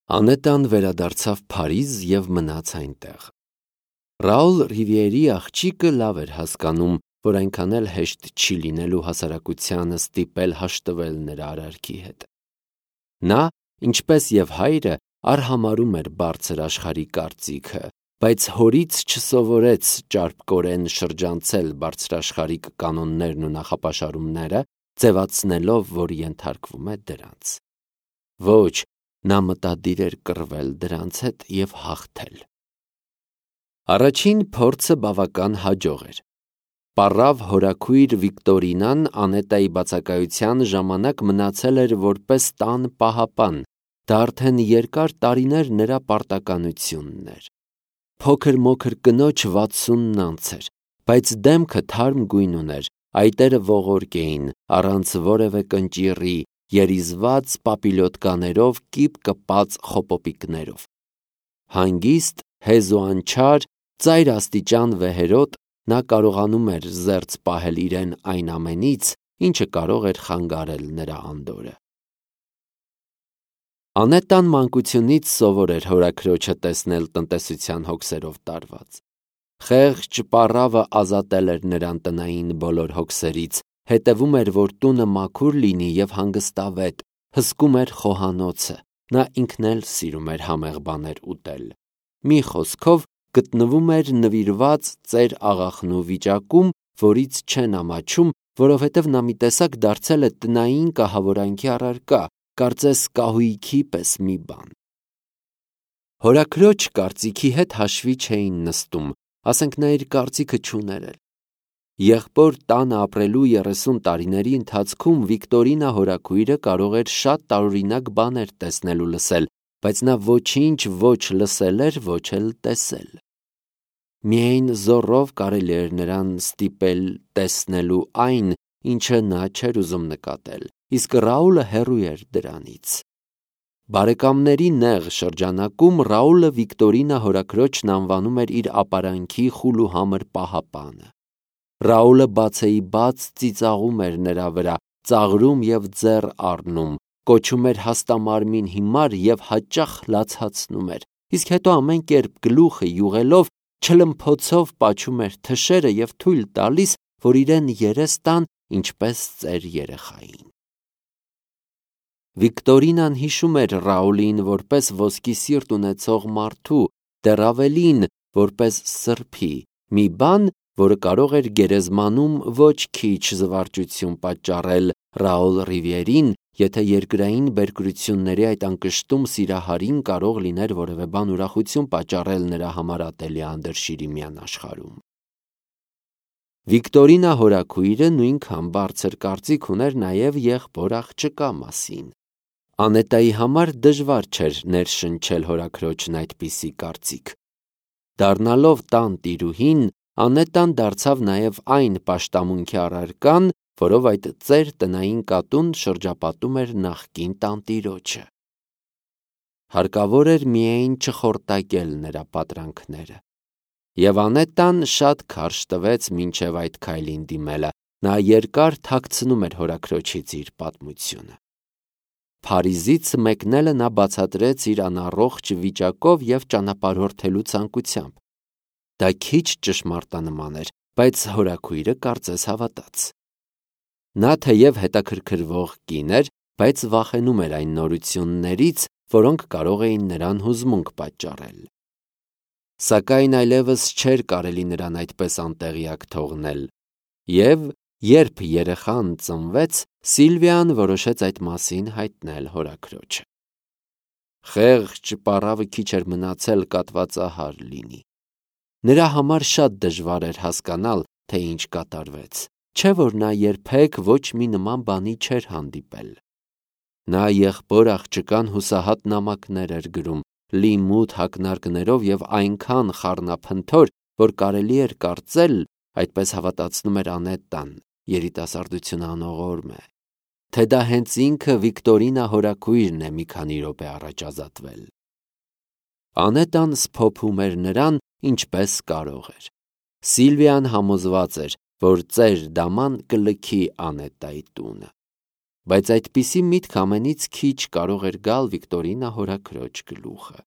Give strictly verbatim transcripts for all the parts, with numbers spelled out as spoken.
Անետան վերադարձավ Փարիզ և մնաց այնտեղ։ Ռաուլ Ռիվիերի աղջիկը լավ էր հասկանում, որ այնքան էլ հեշտ չի լինելու հասարակությանը ստիպել հաշտվել նրա արարքի հետ։ Նա, ինչպես և հայրը, արհամարհում էր բարձր աշխարհի կարծիքը, բայց հորից չսովորեց ճարպկորեն շրջանցել բարձրաշխարհիկ կանոններն ու նախապաշարումները, ձևացնելով, որ ենթարկվում է դրանց։ Ոչ, նա մտադիր էր կռվել դրանց հետ և հաղթել։ Առաջին փորձը բավական հաջող էր։ Պառավ հորաքույր Վիկտորինան Անետայի բացակայության ժամանակ մնացել էր որպես տան պահապան, դա արդեն երկար տարիներ նրա պարտականությունն էր։ Փոքր-մոքր կնոջ վաթսունն անց էր, բայց դեմքը թարմ գույն ուներ, այտերը ողորկ էին, առանց որևէ կնճիռի, երիզված պապիլյոտկաներով կիպ կպած խոպոպիկներով։ Հանգիստ, հեզ ու անչար, ծայր աստիճան վեհերոտ, նա կարողանում էր զերծ պահել իրեն այն ամենից, ինչը կարող էր խանգարել նրա անդորրը։ Անետան մանկությունից սովոր էր հորաքրոջը տեսնել տնտեսության հոգսերով տարված։ Խեղճ պառավը ազատել էր նրան տնային բոլոր հոգսերից, հետևում էր, որ տունը մաքուր լինի և հանգստավետ, հսկում էր խոհանոցը, նա ինքն էլ սիրում էր համեղ բաներ ուտել։ Մի խոսքով, գտնվում էր նվիրված ծեր աղախնու վիճակում, որից չեն ամաչում, որովհետև նա մի տեսակ դարձել է տնային կահավորանքի առարկա, կարծես կահույքի պես մի բան։ Հորաքրոջ կարծիքի հետ հաշվի չէին նստում, ասենք նա իր կարծիքը չուներ էլ։ Եղբոր տանը ապրելու երեսուն տարիների ընթացքում Վիկտորինա հորաքույրը կարող էր շատ տարօրինակ բաներ տեսնել ու լսել, բայց նա ոչինչ ոչ լսել էր, ոչ էլ տեսել։ Միայն զոռով կարելի էր նրան ստիպել տեսնելու այն, ինչը նա չէր ուզում նկատել, իսկ Ռաուլը հեռու էր դրանից։ Բարեկամների նեղ շրջանակում Ռաուլը Վիկտորինա հորաքրոջն անվանում էր իր ապարանքի խուլ ու համր պահապանը։ Ռաուլը բացեիբաց ծիծաղում էր նրա վրա, ծաղրում և ձեռ առնում, կոչում էր հաստամարմին հիմար և հաճախ լացացնում էր, իսկ հետո ամեն կերպ գլուխը յուղելով, չլմփոցով պաչում էր թշերը և թույլ տալիս, որ իրեն երես տան, ինչպես ծեր երեխային։ Վիկտորինան հիշում էր Ռաուլին որպես ոսկի սիրտ ունեցող մարդու, դեռ ավելին, որպես սրբի, մի բան, որը կարող էր գերեզմանում ոչ քիչ զվարճություն պատճառել Ռաուլ Ռիվիերին, եթե երկրային բերկրությունների այդ անկշտում սիրահարին կարող լիներ որևէ բան ուրախություն պատճառել նրա համար ատելի անդրշիրիմյան աշխարհում։ Վիկտորինա հորաքույրը նույնքան բարձր կարծիք ուներ նաև եղբոր աղջկա մասին։ Անետայի համար դժվար չէր ներշնչել հորաքրոջն այդպիսի կարծիք։ Դառնալով տան տիրուհին, Անետան դարձավ նաև այն պաշտամունքի առարկան, որով այդ ծեր տնային կատուն շրջապատում էր նախկին տանտիրոջը։ Հարկավոր էր միայն չխորտակել նրա պատրանքները։ Եվ Անետան շատ քարշ տվեց մինչև այդ քայլին դիմելը, նա երկար թաքցնում էր հորաքրոջից իր պատմությունը։ Փարիզից մեկնելը նա բացատրեց իր անառողջ վիճակով և ճանապարհորդելու ցանկությամբ։ Դա քիչ ճշմարտանման էր, բայց հորաքույրը կարծես հավատաց։ Նա թեև հետաքրքրվող կին էր, բայց վախենում էր այն նորություններից, որոնք կարող էին նրան հուզմունք պատճառել։ Սակայն այլևս չէր կարելի նրան այդպես անտեղյակ թողնել, և երբ երեխան ծնվեց, Սիլվիան որոշեց այդ մասին հայտնել հորաքրոջը։ Խեղճ պառավը քիչ էր մնացել կատվածահար լինի։ Նրա համար շատ դժվար էր հասկանալ, թե ինչ կատարվեց, չէ՞ որ նա երբեք ոչ մի նման բանի չէր հանդիպել։ Նա եղբոր աղջկան հուսահատ նամակներ էր գրում, լի մութ ակնարկներով և այնքան խառնափնթոր, որ կարելի էր կարծել, այդպես հավատացնում էր Անետան, երիտասարդությունը անողորմ է, թե դա հենց ինքը Վիկտորինա հորաքույրն է մի քանի րոպե առաջ ազատվել։ Անետան սփոփում էր նրան, ինչպես կարող էր։ Սիլվիան համոզված էր, որ ծեր դաման կլքի Անետայի տունը։ Բայց այդպիսի միտք ամենից քիչ կարող էր գալ Վիկտորինա հորաքրոջ գլուխը։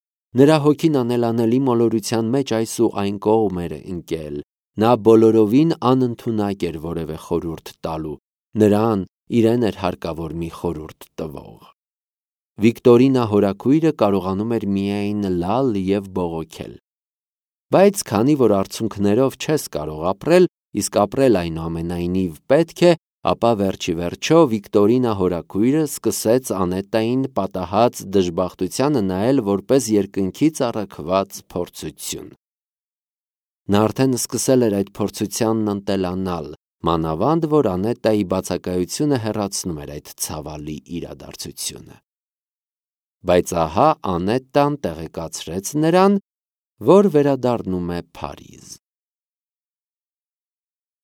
Նրա հոգին անելանելի մոլորության մեջ այս ու այն կողմ էր ընկել։ Նա բոլորովին անընդունակ էր որևէ խորհուրդ տալու, նրան իրեն էր հարկավոր մի խորհուրդ տվող։ Վիկտորինա հորաքույրը կարողանում էր միայն լալ և բողոքել։ Բայց քանի որ արցունքներով չես կարող ապրել, իսկ ապրել այնուամենայնիվ պետք է, ապա վերջի վերջո Վիկտորինա հորաքույրը սկսեց Անետային պատահած դժբախտությանը նայել որպես երկնքից առաքված փորձություն։ Նա արդեն սկսել էր այդ փորձությանն ընտելանալ, մանավանդ որ Անետայի բացակայությունը հեռացնում էր այդ ցավալի իրադարձությունը։ Բայց ահա Անետան տեղեկացրեց նրան, որ վերադառնում է Փարիզ։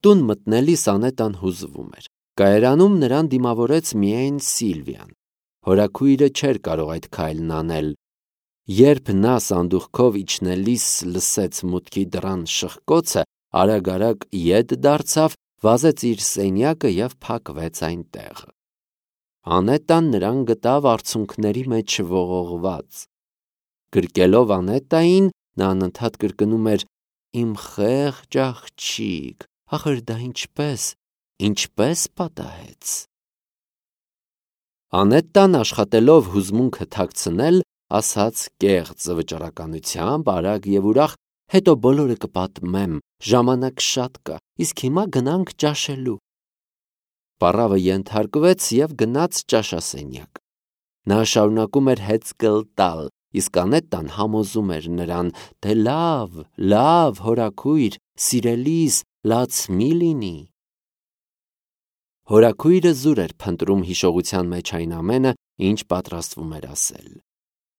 Տուն մտնելիս Անետան հուզվում էր։ Կայարանում նրան դիմավորեց միայն Սիլվիան։ Հորաքույրը չէր կարող այդ քայլն անել։ Երբ նա սանդուղքով իջնելիս լսեց մուտքի դռան շխկոցը, արագ-արագ ետ դարձավ, վազեց իր սենյակը և փակվեց այնտեղ։ Անետան նրան գտավ արցունքների մեջ ողողված։ Գրկելով Անետային, նա անընդհատ կրկնում էր. «Իմ խեղճ աղջիկ, ախր դա ինչպես, ինչպես պատահեց»։ Անետան աշխատելով հուզմունքը թաքցնել, ասաց կեղծ վճռականությամբ, արագ և ուրախ. «Հետո բոլորը կպատմեմ, ժամանակ շատ կա, իսկ հիմա գնանք ճաշելու»։ Պառավը ենթարկվեց և գնաց ճաշասենյակ։ Նա շարունակում էր հեծկլ տալ, իսկ Անետան համոզում էր նրան, թե լավ, լավ, հորաքույր, սիրելիս, լաց մի լինի։ Հորաքույրը զուր էր փնտրում հիշողության մեջ այն ամենը, ինչ պատրաստվում էր ասել։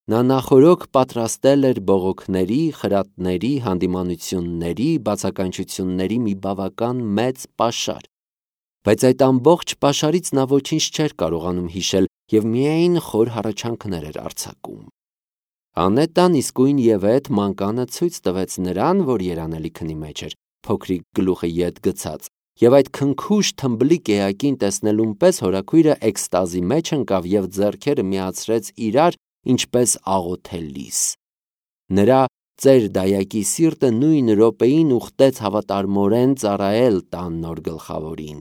Նա նախօրոք պատրաստել էր բողոքների, խրատների, հանդիմանությունների, բացականչությունների մի բավական մեծ պաշար։ Բայց այդ ամբողջ պաշարից նա ոչինչ չէր կարողանում հիշել և միայն խոր հառաչանքներ էր արձակում։ Անետան իսկույնևեթ մանկանը ցույց տվեց նրան, որ երանելի քնի մեջ էր, փոքրիկ գլուխը ետ գցած, և այդ քնքուշ թմբլիկ էակին տեսնելուն պես հորաքույրը էքստազի մեջ ընկավ և ձեռքերը միացրեց իրար, ինչպես աղոթելիս։ Նրա ծեր դայակի սիրտը նույն րոպեին ուխտեց հավատարմորեն ծառայել տան նոր գլխավորին։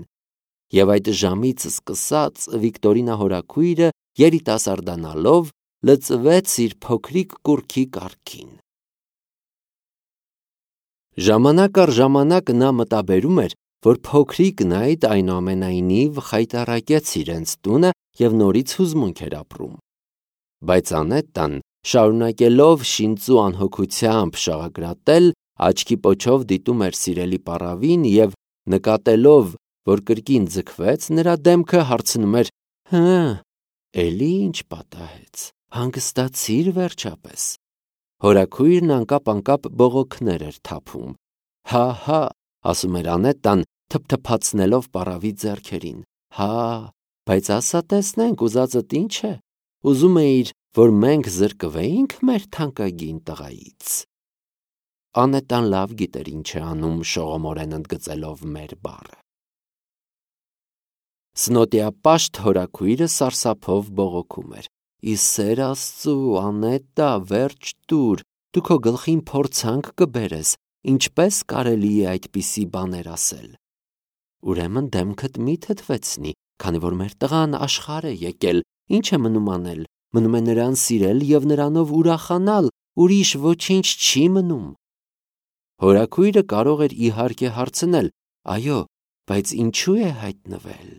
Եվ այդ ժամից սկսած Վիկտորինա հորաքույրը, երիտասարդանալով, լծվեց իր փոքրիկ կուռքի կառքին։ Ժամանակ առ ժամանակ նա մտաբերում էր, որ փոքրիկ Նայտ այնուամենայնիվ խայտառակեց իրենց տունը և նորից հուզմունք էր ապրում։ Բայց Անետան, շարունակելով շինծու անհոգությամբ շաղակրատել, աչքի պոչով դիտում էր սիրելի պառավին և, նկատելով, որ կրկին ձգվեց նրա դեմքը, հարցնում էր. «Հը, էլի ինչ պատահեց, հանգստացի՞ր վերջապես»։ Հորաքույրն անկապ-անկապ բողոքներ էր թափում։ «Հա՛, հա՛», ասում էր Անետան, թփթփացնելով պառավի ձեռքերին։ «Հա, բայց ասա տեսնենք, ուզածդ ինչ է, ուզում էիր, որ մենք զրկվեի՞նք մեր թանկագին տղայից»։ Անետան լավ գիտեր ինչ է անում, շողոմորեն ընդգծելով մեր բառը։ Սնոտիապաշտ հորաքույրը սարսափով բողոքում էր. «Ի սեր Աստծու, Անետա, վերջ տուր, դու քո գլխին փորձանք կբերես, ինչպես կարելի է այդպիսի բաներ ասել»։ Ուրեմն դեմքդ մի թթվեցնի, քանի որ մեր տղան աշխարհ է եկել, ինչ է մնում անել, մնում է նրան սիրել և նրանով ուրախանալ, ուրիշ ոչինչ չի մնում։ Հորաքույրը կարող էր իհարկե հարցնել. «Այո, բայց ինչու է հայտնվել»։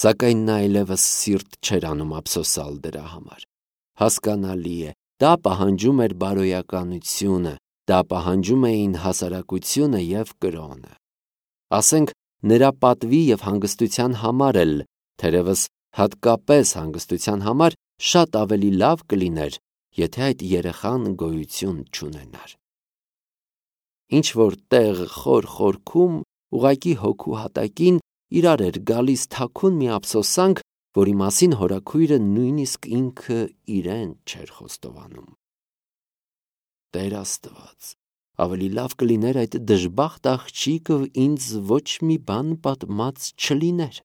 Սակայն նա այլևս սիրտ չէր անում ափսոսալ դրա համար։ Հասկանալի է, դա պահանջում էր բարոյականությունը, դա պահանջում էին հասարակությունը և կրոնը։ Ասենք, նրա պատվի և հանգստության համար էլ, թերևս հատկապես հանգստության համար, շատ ավելի լավ կլիներ, եթե այդ երեխան գոյություն չունենար։ Ինչ-որ տեղ խոր խորքում, ուղղակի հոգու հատակին, իրար էր գալիս թաքուն մի ափսոսանք, որի մասին հորաքույրը նույնիսկ ինքը իրեն չէր խոստովանում։ Տեր Աստված, ավելի լավ կլիներ այդ դժբախտ աղջիկը ինձ ոչ մի բան պատմած չլիներ։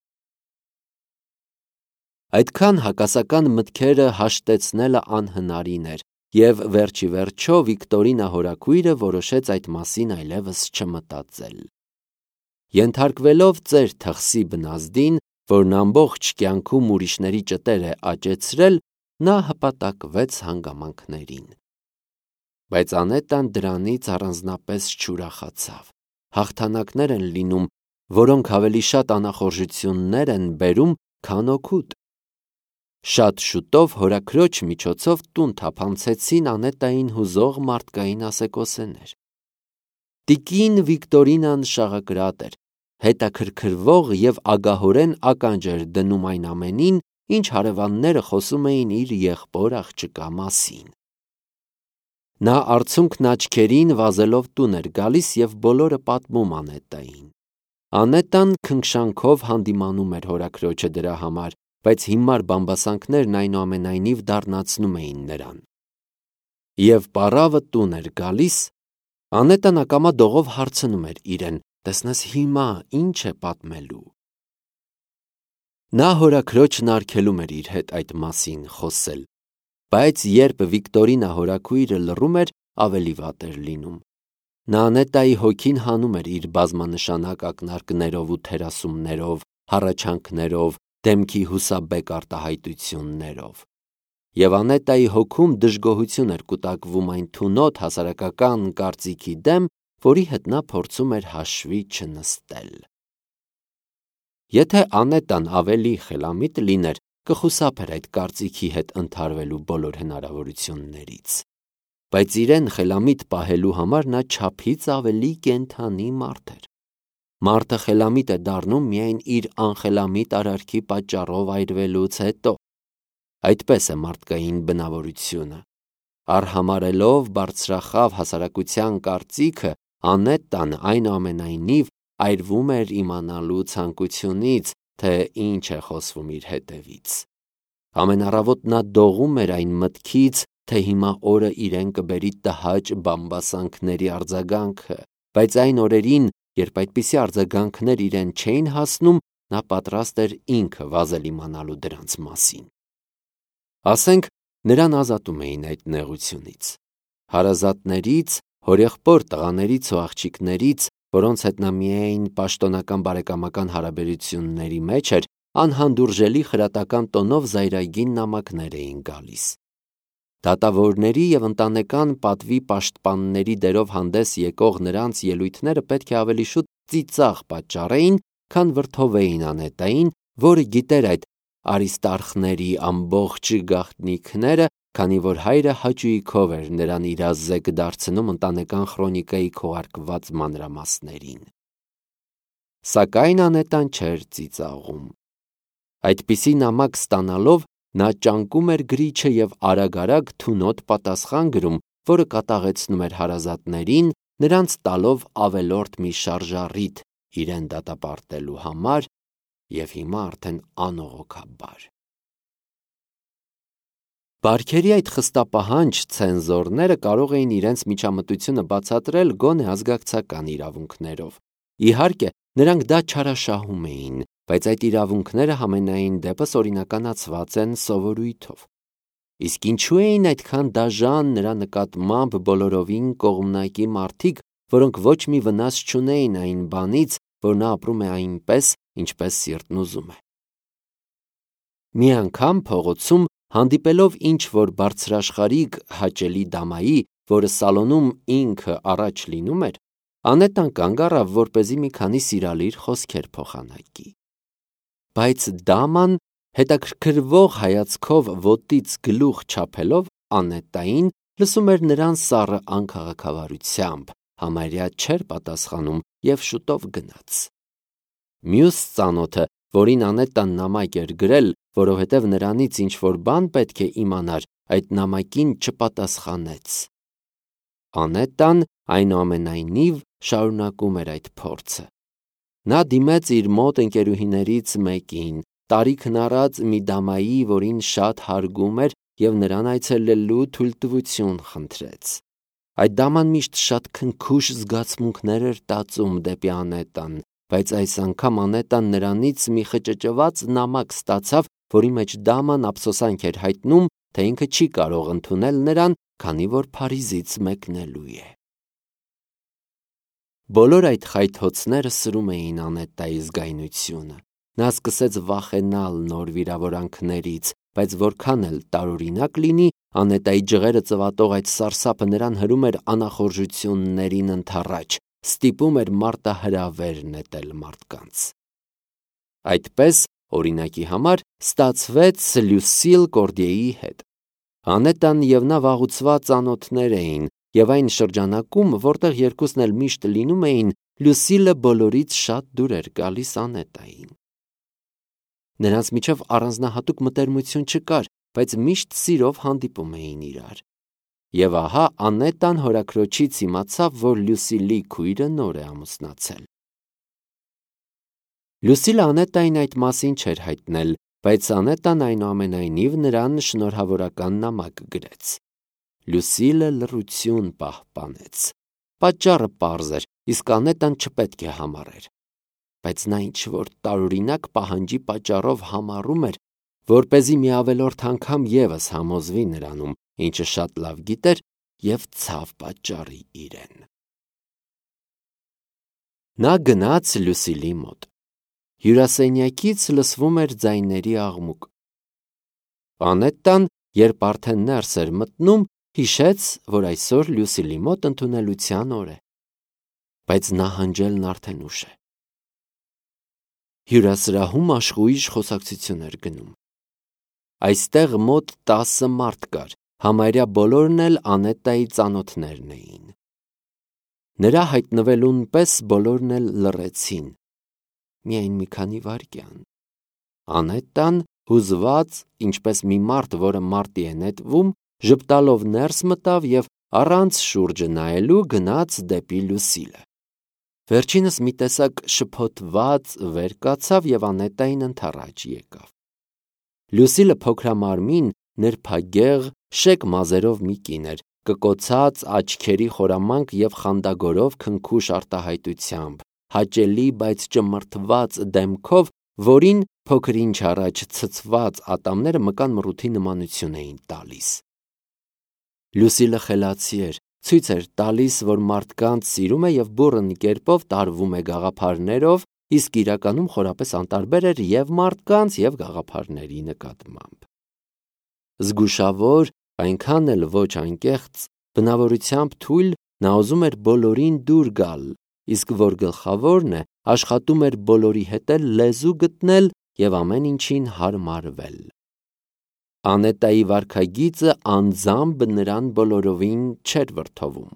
Այդքան հակասական մտքերը հաշտեցնելը անհնարին էր, և վերջի վերջո Վիկտորինա հորաքույրը որոշեց այդ մասին այլևս չմտածել։ Ենթարկվելով ծեր թխսի բնազդին, որն ամբողջ կյանքում ուրիշների ճտեր է աճեցրել, նա հպատակվեց հանգամանքներին։ Բայց Անետան դրանից առանձնապես չուրախացավ։ Հաղթանակներ են լինում, որոնք ավելի շատ անախորժություններ են բերում, քան օգուտ։ Շատ շուտով հորաքրոջ միջոցով տուն թափանցեցին Անետային հուզող մարդկային ասեկոսեներ։ Տիկին Վիկտորինան շաղակրատ էր, հետաքրքրվող և ագահորեն ականջ էր դնում այն ամենին, ինչ հարևանները խոսում էին իր եղբոր աղջկա մասին։ Նա արցունքն աչքերին վազելով տուն էր գալիս և բոլորը պատմում Անետային։ Անետան քնքշանքով հանդիմանում էր հորաքրոջը դրա համար, բայց հիմար բամբասանքներն այնուամենայնիվ դառնացնում էին նրան։ Եվ պառավը տուն էր գալիս, Անետան ակամա դողով հարցնում էր իրեն. «Տեսնես հիմա ինչ է պատմելու»։ Նա հորաքրոջն արգելում էր իր հետ այդ մասին խոսել, բայց երբ Վիկտորինա հորաքույրը լռում էր, ավելի վատ էր լինում։ Նա Անետայի հոգին հանում էր իր բազմանշանակ ակնարկներով ու թերասումներով, հառաչանքներով, դեմքի հուսաբեկ արտահայտություններով։ Եվ Անետայի հոգում դժգոհություն էր կուտակվում այն թունոտ հասարակական կարծիքի դեմ, որի հետ նա փորձում էր հաշվի չնստել։ Եթե Անետան ավելի խելամիտ լիներ, կխուսափեր այդ կարծիքի հետ ընդհարվելու բոլոր հնարավորություններից։ Բայց իրեն խելամիտ պահելու համար նա չափից ավելի կենդանի մարդ էր։ Մարդը խելամիտ է դառնում միայն իր անխելամիտ արարքի պատճառով այրվելուց հետո։ Այդպես է մարդկային բնավորությունը։ Արհամարհելով բարձրախավ հասարակության կարծիքը, Անետան այնուամենայնիվ այրվում էր իմանալու ցանկությունից, թե ինչ է խոսվում իր հետևից։ Ամեն առավոտ նա դողում էր այն մտքից, թե հիմա օրը իրեն կբերի տհաճ բամբասանքների արձագանքը, բայց այն օրերին, երբ այդպիսի արձագանքներ իրեն չէին հասնում, նա պատրաստ էր ինքը վազել իմանալու դրանց մասին։ Ասենք, նրան ազատում էին այդ նեղությունից։ Հարազատներից, հորեղբոր տղաներից ու աղջիկներից, որոնց հետ նա միայն պաշտոնական բարեկամական հարաբերությունների մեջ էր, անհանդուրժելի խրատական տոնով զայրագին նամակներ էին գալիս։ Դատավորների և ընտանեկան պատվի պաշտպանների դերով հանդես եկող նրանց ելույթները պետք է ավելի շուտ ծիծաղ պատճառեին, քան վրդովեին Անետային, որը գիտեր այդ Արիստարխների ամբողջ գաղտնիքները, քանի որ հայրը հաճույքով էր նրան իրազեկ դարձնում ընտանեկան խրոնիկայի քողարկված մանրամասներին։ Սակայն Անետան չէր ծիծաղում։ Այդպիսի նամակ ստանալով նա ճանկում էր գրիչը և արագ-արագ թունոտ պատասխան գրում, որը կատաղեցնում էր հարազատներին, նրանց տալով ավելորդ մի շարժառիթ իրեն դատապարտելու համար, և հիմա արդեն անողոքաբար։ Բարքերի այդ խստապահանջ ցենզորները կարող էին իրենց միջամտությունը բացատրել գոնե ազգակցական իրավունքներով։ Իհարկե, նրանք դա չարաշահում էին, բայց այդ իրավունքները համենայն դեպս օրինականացված են սովորույթով։ Իսկ ինչու էին այդքան դաժան նրա նկատմամբ բոլորովին կողմնակի մարդիկ, որոնք ոչ մի վնաս չունեին այն բանից, որ նա ապրում է այնպես, ինչպես սիրտն ուզում է։ Մի անգամ փողոցում, հանդիպելով ինչ-որ բարձրաշխարհիկ հաճելի դամայի, որը սալոնում ինքը առաջ լինում էր, Անետան կանգ առավ, որպեսզի մի քանի սիրալիր խոսքեր փոխանակի։ Բայց դաման, հետաքրքրվող հայացքով ոտից գլուխ չափելով Անետային, լսում էր նրան սառը անքաղաքավարությամբ, համարյա չէր պատասխանում և շուտով գնաց։ Մյուս ծանոթը, որին Անետան նամակ էր գրել, որովհետև նրանից ինչ-որ բան պետք է իմանար, այդ նամակին չպատասխանեց։ Անետան, այնուամենայնիվ, շարունակում էր այդ փորձը։ Նա դիմեց իր մոտ ընկերուհիներից մեկին, տարիքն առած մի դամայի, որին շատ հարգում էր, և նրան այցելելու թույլտվություն խնդրեց։ Այդ դաման միշտ շատ քնքուշ զգացմունքներ էր տածում դեպի Անետան, բայց այս անգամ Անետան նրանից մի խճճված նամակ ստացավ, որի մեջ դաման ափսոսանք էր հայտնում, թե ինքը չի կարող ընդունել նրան, քանի որ Փարիզից մեկնելու է։ Բոլոր այդ խայթոցները սրում էին Անետայի զգայունությունը։ Նա սկսեց վախենալ նոր վիրավորանքներից, բայց որքան էլ տարօրինակ լինի, Անետայի ջղերը ծվատող այդ սարսափը նրան հրում էր անախորժություններին ընդառաջ, ստիպում էր մարտահրավեր նետել մարդկանց։ Այդպես, օրինակի համար, ստացվեց Լյուսիլ Կորդիեի հետ։ Անետան և նա վաղուցված ծանոթներ էին, և այն շրջանակում, որտեղ երկուսն էլ միշտ լինում էին, Լյուսիլը բոլորից շատ դուր էր գալիս Անետային։ Նրանց միջև առանձնահատուկ մտերմություն չկար, բայց միշտ սիրով հանդիպում էին իրար։ Եվ ահա Անետան հորաքրոջից իմացավ, որ Լյուսիլի քույրը նոր է ամուսնացել։ Լյուսիլը Անետային այդ մասին չէր հայտնել, բայց Անետան այնուամենայնիվ նրան շնորհավորական նամակ գրեց։ Լյուսիլը լռություն պահպանեց։ Պատճառը պարզ էր, իսկ Անետան չպետք է համառեր։ Բայց նա ինչ-որ տարօրինակ պահանջի պատճառով համառում էր, որպեսզի մի ավելորդ անգամ ևս համոզվի նրանում, ինչը շատ լավ գիտեր, և ցավ պատճառի իրեն։ Նա գնաց Լյուսիլի մոտ։ Հյուրասենյակից լսվում էր ձայների աղմուկ։ Անետան, երբ արդեն ներս էր մտնում, հիշեց, որ այսօր Լյուսիլի մոտ ընդունելության օր է, բայց նահանջելն արդեն ուշ է։ Հյուրասրահում աշխույժ խոսակցություն էր գնում։ Այստեղ մոտ տասը մարդ կար, համարյա բոլորն էլ Անետայի ծանոթներն էին։ Նրա հայտնվելուն պես բոլորն էլ լռեցին։ Միայն մի քանի վայրկյան։ Անետան, հուզված, ինչպես մի մարդ, որը մարտի է նետվում, ժպտալով ներս մտավ և առանց շուրջը նայելու գնաց դեպի Լյուսիլը։ Վերջինս մի տեսակ շփոթված վեր կացավ և Անետային ընդառաջ եկավ։ Լյուսիլը փոքրամարմին, նրբագեղ, շեկ մազերով մի կին էր, կկոցած աչքերի խորամանկ և խանդագորով քնքուշ արտահայտությամբ, հաճելի, բայց ճմրթված դեմքով, որին փոքր-ինչ առաջ ցցված ատամները մկան մռութի նմանություն էին տալիս։ Լյուսիլը խելացի էր, ցույց էր տալիս, որ մարդկանց սիրում է և բուռն կերպով տարվում է գաղափարներով, իսկ իրականում խորապես անտարբեր էր և մարդկանց, և գաղափարների նկատմամբ։ Զգուշավոր, այնքան էլ ոչ անկեղծ, բնավորությամբ թույլ, նա ուզում էր բոլորին դուր գալ, իսկ որ գլխավորն է, աշխատում էր բոլորի հետ էլ լեզու գտնել և ամեն ինչին հարմարվել։ Անետայի վարքագիծը անձամբ նրան բոլորովին չէր վրդովում։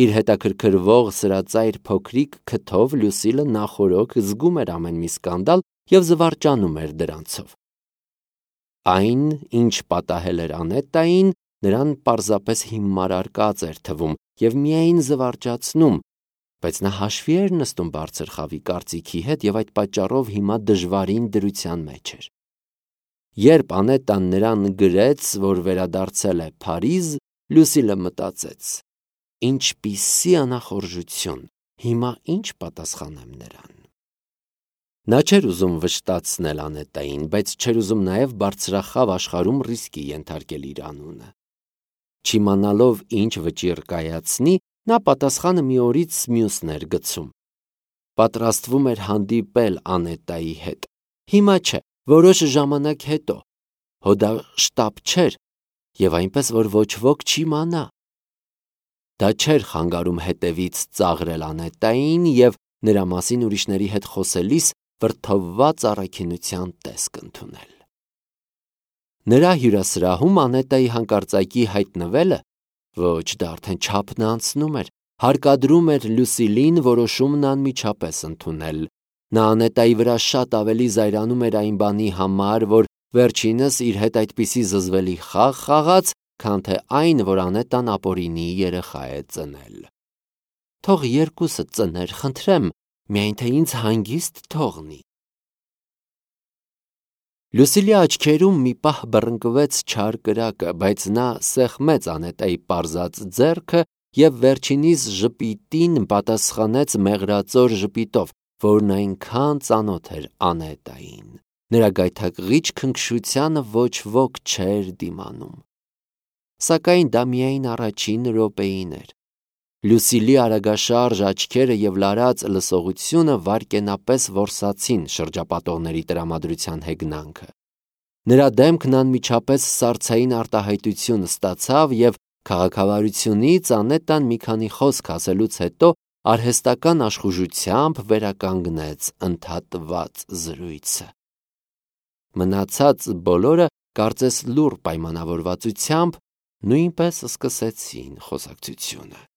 Իր հետաքրքրվող սրածայր փոքրիկ քթով Լյուսիլը նախօրոք զգում էր ամեն մի սկանդալ և զվարճանում էր դրանցով։ Այն, ինչ պատահել էր Անետային, նրան պարզապես հիմարարկած էր թվում և միայն զվարճացնում, բայց նա հաշվի էր նստում բարձր խավի կարծիքի հետ և այդ պատճառով հիմա դժվարին դրության մեջ էր։ Երբ Անետան նրան գրեց, որ վերադարձել է Փարիզ, Լյուսիլը մտածեց. ինչպիսի անախորժություն, հիմա ինչ պատասխանեմ նրան։ Նա չէր ուզում վշտացնել Անետային, բայց չէր ուզում նաև բարձրախավ աշխարհում ռիսկի ենթարկել իր անունը։ Չիմանալով ինչ վճիռ կայացնի, նա պատասխանը մի օրից մյուսն էր գցում։ Պատրաստվում էր հանդիպել Անետայի հետ։ Հիմա չէ, որոշ ժամանակ հետո։ Հո դա շտապ չէր, և այնպես, որ ոչ ոք չիմանա։ Դա չէր խանգարում հետևից ծաղրել Անետային և նրա մասին ուրիշների հետ խոսելիս վրդովված առաքինության տեսք ընդունել։ Նրա հյուրասրահում Անետայի հանկարծակի հայտնվելը, ոչ, դա արդեն չափն անցնում էր, հարկադրում էր Լյուսիլին որոշումն անմիջապես ընդունել։ Նա Անետայի վրա շատ ավելի զայրանում էր այն բանի համար, որ վերջինս իր հետ այդպիսի զզվելի խաղ խաղաց, քան թե այն, որ Անետան ապօրինի երեխա է ծնել։ Թող երկուսը ծներ, խնդրեմ, միայն թե ինձ հանգիստ թողնի։ Լյուսիլի աչքերում մի պահ բռնկվեց չար կրակը, բայց նա սեղմեց Անետայի պարզած ձեռքը և վերջինիս ժպիտին պատասխանեց մեղրածոր ժպիտով, որն այնքան ծանոթ էր Անետային։ Նրա գայթակղիչ քնքշությանը ոչ ոք չէր դիմանում։ Սակայն դա միայն առաջին րոպեին էր։ Լուսիլի արագաշարժ աչքերը և լարած լսողությունը վայրկենապես որսացին շրջապատողների տրամադրության հեգնանքը։ Նրա դեմքն անմիջապես սառցային արտահայտություն ստացավ և քաղաքավարությունից Անետան մի քանի խոսք ասելուց հետո արհեստական աշխուժությամբ վերականգնեց ընդհատված զրույցը։ Մնացած բոլորը, կարծես լուռ պայմանավորվածությամբ, նույնպես սկսեցին խոսակցությունը։